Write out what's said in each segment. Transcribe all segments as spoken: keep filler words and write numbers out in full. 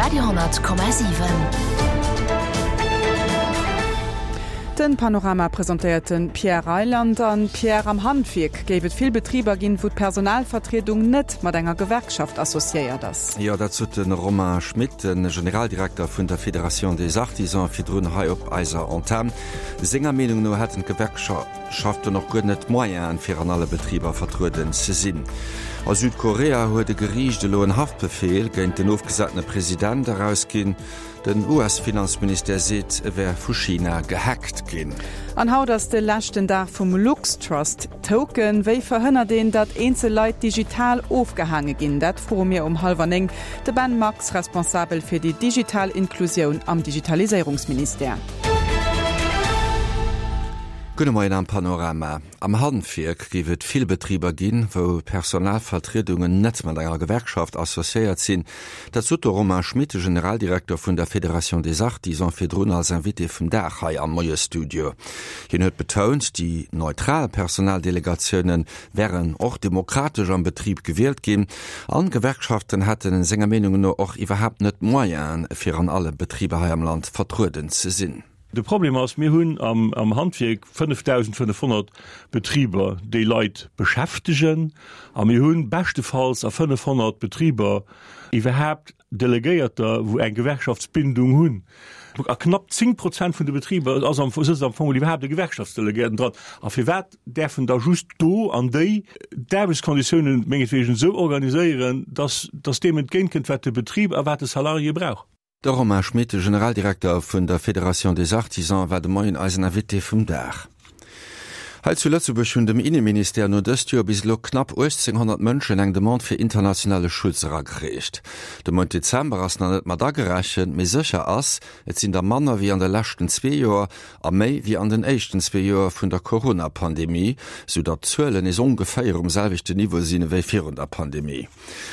Radio honnert Komma siwen. Den Panorama presentéiert den Pierre Reyland. An Pierre, am Handwierk géif et vill Betriber ginn, wou d'Personalvertriedung net mat enger Gewerkschaft associéiert ass. Jo, dat sot de Romain Schmit, de Generaldirekter vun der Fédération des Artisans, virdrun hei op eiser Antenn. Senger Meenung no hätten d'Gewerkschaften och guer net d'Moyenen, fir an alle Betriber vertrueden ze sinn. A Südkorea huet e Geriicht elo en Haftbefeel géint den ofgesatene President erausginn. Den U S-Finanzministère seet, e wär vu China gehackt ginn. An haut ass de leschten Dag vum LuxTrust Token. Wéi verhënnert een, datt eenzel Leit digital ofgehaange ginn? Dat froe mir um hallwer néng de Ben Max, responsabel fir déi digital Inklusioun am Digitaliséierungsministère. Gudde Moien am Panorama. Am Handwierk géif et vill Betriber ginn, wou Personalvertriedungen net mat enger Gewerkschaft associéiert sinn. Dat sot de Romain Schmit, de Generaldirekter vun der Fédération des Artisans, virdrun als Invité vum Dag hei am Moiesstudio. Hien huet betount, déi neutral Personaldelegatiounen wären och demokratesch am Betrib gewielt ginn an Gewerkschaften hätten senger Meenung no och iwwerhaapt net d'Moyenen, fir an alle Betriber hei am Land vertrueden ze sinn. De Problem ass, mir hunn am, am Handwierk fënnefdausendfënnefhonnert Betriber, déi Leit beschäftegen, a mir hunn beschtefalls a fënnefhonnert Betriber iwwerhaapt Delegéierter, wou eng Gewerkschaftsbindung hunn. A knapp zéng Prozent vun de Betriber ass am, sëtzt am Fong iwwerhaapt e Gewerkschaftsdelegéierten dran. A firwat däerfen da just do an déi d'Aarbechtskonditiounen mengetwegen esou organiséieren, dass, dass deem entgéintkënnt, wat de Betrib a wat de Salarié brauch? De Romain Schmit, de Generaldirekter vun der Fédération des Artisans, war de Moien eisen Invité vum Dag. Hei zu Lëtzebuerg hunn dem Inneministère no dëst Joer bis elo knapp uechtzénghonnert Mënschen eng Demande fir internationale Schutz eragereecht. De Mount Dezember ass nach net mat agerechent, mee sécher ass, et sinn der manner wéi an de leschten zwee Joer a méi wéi an den éischten zwee Joer vun der Corona-Pandemie, sou datt d'Zuelen nees ongeféier um selwechten Niveau sinn ewéi virun der Pandemie.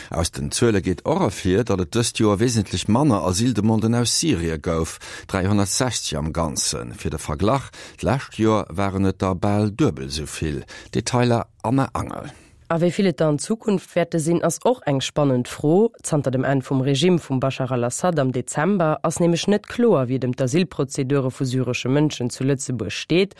Aus den Zuele geet och ervir, datt et dëst Joer wesentlech manner Asyldemanden aus Syrie gouf, dräihonnertsechzeg am Ganzen. Fir de Verglach, d'lescht Joer waren et der bal duebel esou vill. Detailer Anne Angel. A wéi vill et der an Zukunft wäerte sinn, ass och eng spannend Fro. Zanter dem Enn vum Regime vum Bashar al-Assad am Dezember ass nämlech net kloer, wéi et ëm d'Asylprozedure vu syresche Mënschen zu Lëtzebuerg steet.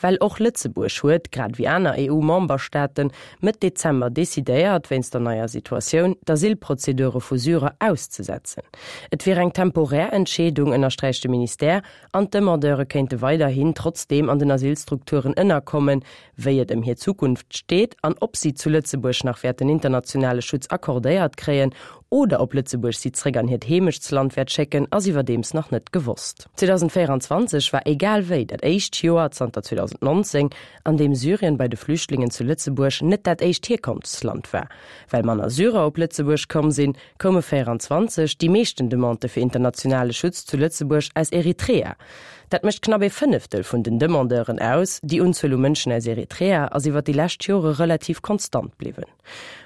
Well och Lëtzebuerg huet, grad wéi aner E U-Memberstaaten, Mëtt Dezember decidéiert, wéinst der neier Situatioun, d'Asylprozedure vu Syrer auszesetzen. Et wier eng temporär Entscheedung, ënnersträicht de Ministère, an d'Demandeure kéinte weiderhin trotzdeem an den Asylstrukturen ënnerkommen. Wéi et ëm hir Zukunft steet an ob si zu Lëtzebuerg nach wäerten internationale Schutz accordéiert kréien oder ob Lëtzebuerg si zréck an hiert Heemechtsland wäert schécken, ass iwwerdeems nach net gewosst. zweedausendvéierenzwanzeg war egal wéi dat éischt Joer zanter zweedausendnonzéng, an deem Syrien bei de Flüchtlingen zu Lëtzebuerg net dat éischt Hierkonftsland war. Well manner Syrer op Lëtzebuerg komm sinn, koume véierenzwanzeg déi meeschten Demandë fir internationale Schutz zu Lëtzebuerg aus Eritrea. Dat mécht knapp ee Fënneftel vun den Demandeuren aus. Déi Unzuel u Mënschen aus Eritrea ass iwwer déi lescht Jore relativ konstant bliwwen.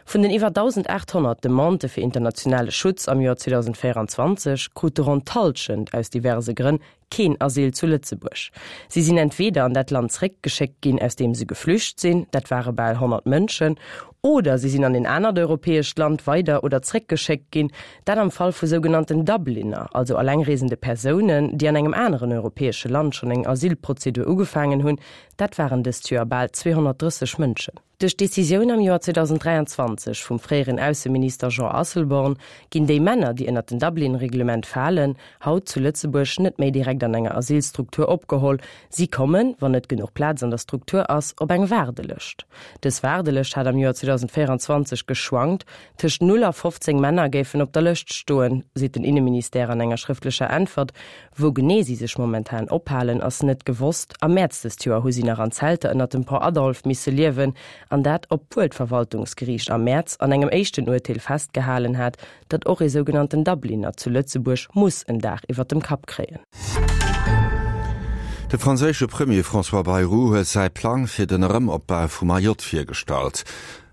Vun den iwwer dausendaathonnert Demandë fir internationale Schutz am Joer zweedausendvéierenzwanzeg krute ronn d'Hallschent aus diverse Grënn keen Asyl zu Lëtzebuerg. Si sinn entweeder an dat Land zréckgeschéckt ginn, aus deem se geflücht sinn, dat ware bal honnert Mënschen, oder si sinn an en anert europäescht Land weider oder zréckgeschéckt ginn, dat am Fall vu sougenannten Dubliner, also allengreesende Persounen, déi an engem aneren europäesche Land schonn eng Asylprozedur ugefaangen hunn, dat waren dëst Joer bal zweehonnertdrësseg Mënschen. Duerch d'Decisioun am Joer zweedausendräianzwanzeg vum fréieren Ausseminister Jean Asselborn ginn déi Männer, déi ënnert den Dublin-Reglement falen, haut zu Lëtzebuerg net méi direkt an enger Asylstruktur opgeholl. Si kommen, wann net genuch Plaz an der Struktur ass, op eng Waardelëscht. Dës Waardelëscht hat am Joer zweedausendvéierenzwanzeg geschwankt, tëscht null a fofzéng Männer géifen op der Lëscht stoen, seet den Inneministère an enger schrëftlecher Äntwert. Wou genee si sech momentan ophalen, ass net gewosst. Am Mäerz dëst Joer hu si nach an Zelter ënnert dem Pont Adolphe misse liewen, an dat obwuel d'Verwaltungsgeriicht am Mäerz an engem éischten Urteel festgehalen hat, datt och ee sougenannten Dubliner zu Lëtzebuerg muss en Daach iwwer dem Kapp kréien. De franséische Premier François Bayrou huet säi Plang fir den Erëmopbau vu Mayotte virgestallt.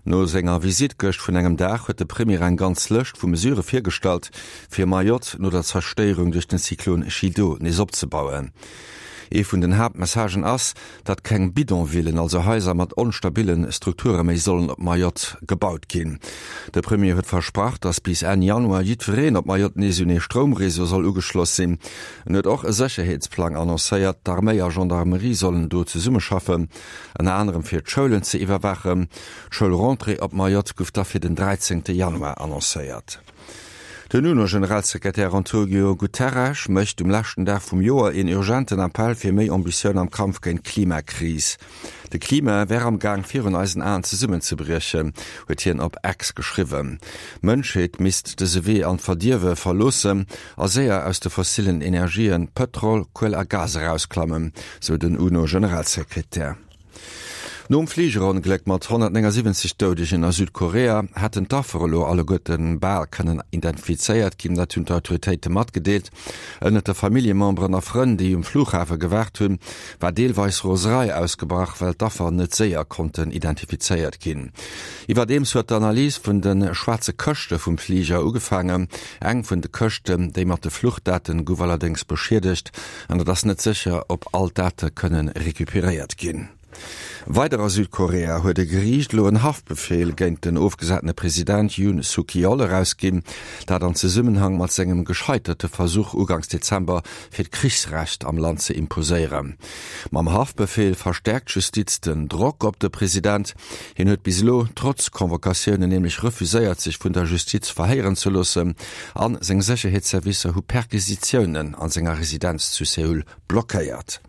No senger Visitt gëscht vun engem Dag huet de Premier eng ganz Lëscht vu Mesurë virgestallt, fir Mayotte no der Zerstéierung duerch den Zyklon Chido nees opzebauen. Ee vun den Haaptmessagen ass, datt keng Bidonvillen, also Haiser mat onstabille Strukture méi sollen op Mayotte gebaut ginn. De Premier huet versprach, datt bis Enn Januar jiddwereen op Mayotte nees un ee Stroumreseau soll ugeschloss sinn. En huet och e Sécherheetsplang annoncéiert, d'Arméi a Gendarmerie sollen do zesummeschaffen, ënner anerem fir d'Schoulen ze iwwerwaachen. D'Schoulrentrée op Mayotte gouf da fir den dräizéngte Januar annoncéiert. Den UNO-Generalsekretär Antonio Guterres mécht um leschten Dag vum Joer een urgenten Appell fir méi Ambitioun am Kampf géint d'Klimakris. De Klima wär am Gaang virun eisen Aen zesummenzebriechen, huet hien op X geschriwwen. D'Mënschheet misst dëse Wee an d'Verdierwe verloossen a séier aus de fossillen Energien, Pëtrol, Kuel a Gas erausklammen, sou den UNO-Generalsekretär. Nom Fligerongléck mat honnertnéngasiwwenzeg Doudegen a Südkorea hätten d'Affer elo alleguerte bal kënnen identifizéiert ginn. Dat hunn d'Autoritéite matgedeelt. Ënnert de Familljememberen a Frënn, déi um Flughafe gewaart hunn, war deelweis Roserei ausgebrach, well d'Affer net séier konnten identifizéiert ginn. Iwwerdeems huet d'Analys vun de schwaarze Këschte vum Fliger ugefaangen. Eng vun de Këschten, déi mat de Fluchdaten, gouf allerdéngs beschiedegt an et ass net sécher, ob all d'Date kënne recuperéiert ginn. Weider a Südkorea huet e Geriicht elo en Haftbefeel géint den ofgesatene President Yoon Suk Yeol erausginn, dat an Zesummenhang mat sengem gescheiterte Versuch uganks Dezember, fir d'Krichsrecht am Land ze imposéieren. Mam Haftbefeel verstäerkt d'Justiz den Drock op de President. Hien huet bis elo trotz Convocatiounen nämlech refuséiert, sech vun der Justiz verhéieren ze loossen, a seng Sécherheetsservicer hu Perquisitiounen a senger Residenz zu Seoul blockéiert.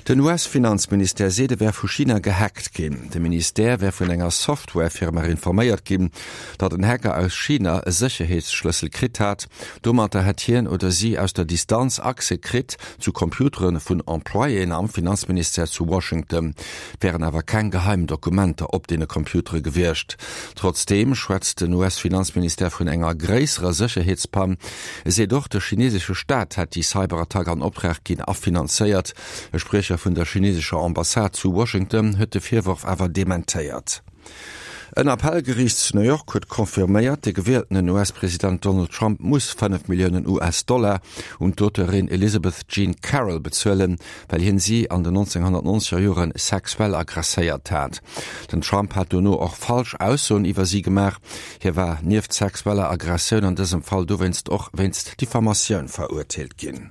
Den U S-Finanzministère seet, e wär vu China gehackt ginn. De Ministère wär vun enger Software-Firma informéiert ginn, datt en Hacker aus China e Sécherheetsschlëssel kritt hat. Domatter hätt hien oder si aus der Distanz Accès kritt zu Computere vun Employéen am Finanzministère zu Washington. Et wären awer keng geheim Dokumenter op deene Computere gewiescht. Trotzdeem schwätzt den U S-Finanzministère vun enger gréisserer Sécherheetspann. E seet och, de chinesesche Staat hätt déi Cyberattack an Optrag ginn a finanzéiert. E Spriecher vun der chinesescher Ambassade zu Washington huet de Virworf awer dementéiert. En Appellgeriicht zu New York huet confirméiert, de gewieltenen U S-President Donald Trump muss fënnef Milliounen U S-Dollar un d'Auteurin Elizabeth Jean Carroll bezuelen, well hien si an den nonzénghonnertnonzeger Jore sexuell aggresséiert hat. Den Trump hat dono och falsch Aussoen iwwer si gemaach. Hie war nieft sexueller Aggressioun an dësem Fall dowéinst och wéinst Diffamatioun verurteelt ginn.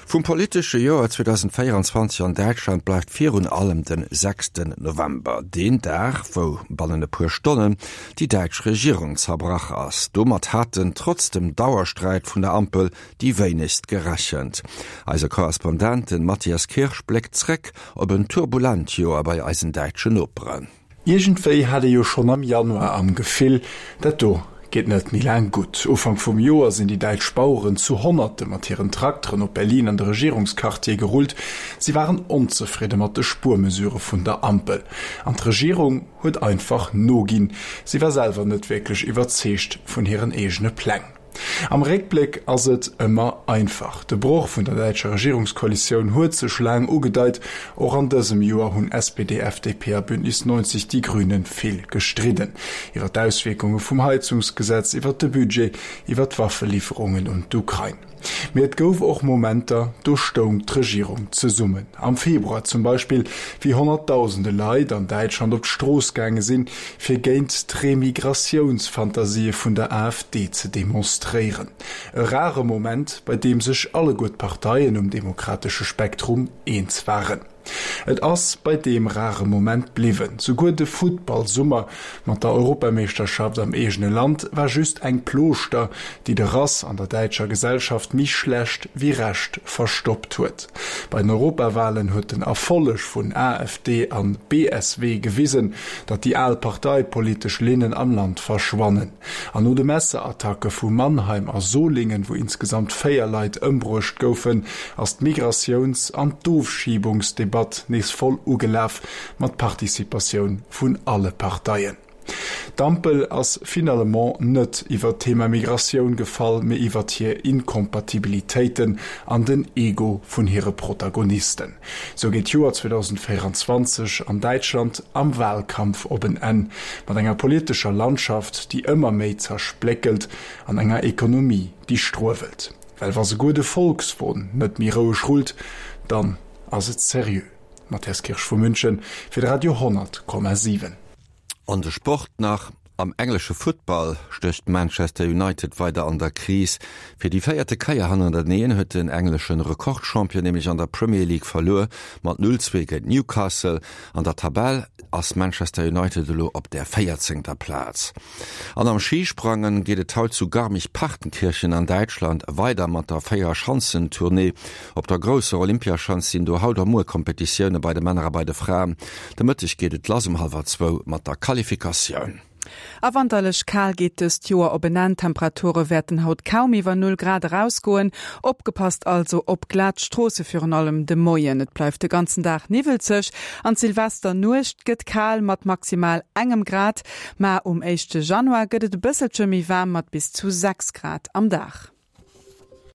Vum politesche Joer zweedausendvéieranzwanzeg an Däitschland bleift virun allem den sechsten November, deen Dag, wou bannen e puer Stonnen déi däitsch Regierung zerbrach ass. Domat haten, trotz dem Dauersträit vun der Ampel, déi wéinegst gerechent. Eise Korrespondent, den Matthias Kirsch, bléckt zréck op en turbulent Joer bei eisen däitschen Noperen. Iergendwéi hat ee jo schonn am Januar am Gefill, dat do geet net méi laang gutt. Ufank vum Joer sinn déi däitsch Baueren zu Honnerte mat hiren Trakteren op Berlin an de Regierungsquartier gerullt. Si waren onzefridde mat de Spuermesurë vun der Ampel. An d'Regierung huet einfach noginn. Si war selwer net wierklech iwwerzeegt vun hiren eegene Pläng. Am Réckbléck ass et ëmmer einfach. De Broch vun der däitscher Regierungskoalitioun huet sech laang ugedeit. Och an dësem Joer hunn S P D, F D P a Bündnis neunzeg Die Grünen vill gestridden. Iwwer d'Auswierkunge vum Heizungsgesetz, iwwer de Budget, iwwer d'Waffeliwwerungen un d'Ukrain. Mee et gouf och Momenter, do stoung d'Regierung zesummen. Am Februar zum Beispill, wéi Honnertdausende Leit an Däitschland op d'Strooss gaange sinn, fir géint d'Remigratiounsfantasië vun der A F D ze demonstréieren. E rare Moment, bei deem sech alleguer d'Parteien um demokratesche Spektrum eens waren. Et ass bei deem rare Moment bliwwen. Souguer de Futtballsummer mat der Europameeschterschaft am eegene Land war just eng Plooschter, déi de Rass an der däitscher Gesellschaft méi schlecht wéi recht verstoppt huet. Bei den Europawalen huet den Erfolleg vun A F D an B S W gewisen, datt déi al parteipolitesch Linnen am Land verschwannen. An no de Messerattacke vu Mannheim a Solingen, wou insgesamt véier Leit ëmbruecht goufen, ass d'Migratiouns an d'Ofschiebungsdebatt nees voll ugelaf, mat Participatioun vun alle Parteien. D'Ampel ass finalement net iwwer d'Thema Migratioun gefall, mee iwwer hir Inkompatibilitéiten an den Ego vun hire Protagonisten. Sou geet d'Joer zweedausendvéieranzwanzeg an Däitschland am Walkampf op en Enn, mat enger politescher Landschaft, déi ëmmer méi zerspléckelt, an enger Ekonomie, déi struewelt. Well wa souguer de Volkswon net méi roueg rullt, dann ass et seriö. Matthias Kirsch vu München fir de Radio honnert Komma siwen. An de Sport nach, Am englesche Futtball stécht Manchester United weider an der Kris. Fir déi véierte Kéier hannerteneen huet den englesche Rekordchampion nämlech an der Premier League verluer, mat null zwee géint Newcastle. An der Tabell ass Manchester United elo op der véierzéngter Plaz. An am Schisprangen geet et haut zu Garmisch-Partenkirchen an Däitschland weider mat der Véierschanzentournée. Op der grousser Olympiaschanz sinn do haut a muer Kompetitioune bei de Männer a bei de Fraen. De Mëtteg geet et lass um hallwer zwou mat der Qualifikatioun. A wanterlech kal geet dëst Joer op en Enn, D'Temperature wäerten haut kaum iwwer Null Grad erausgoen. Opgepasst also op glat Stroosse, virun allem de Moien. Et bleift de ganzen Dag niwwelzeg an d'Silvesternuecht gëtt kal mat maximal engem Grad. Ma um éischte Januar gëtt et e bësselche méi waarm mat bis zu sechs Grad am Dag.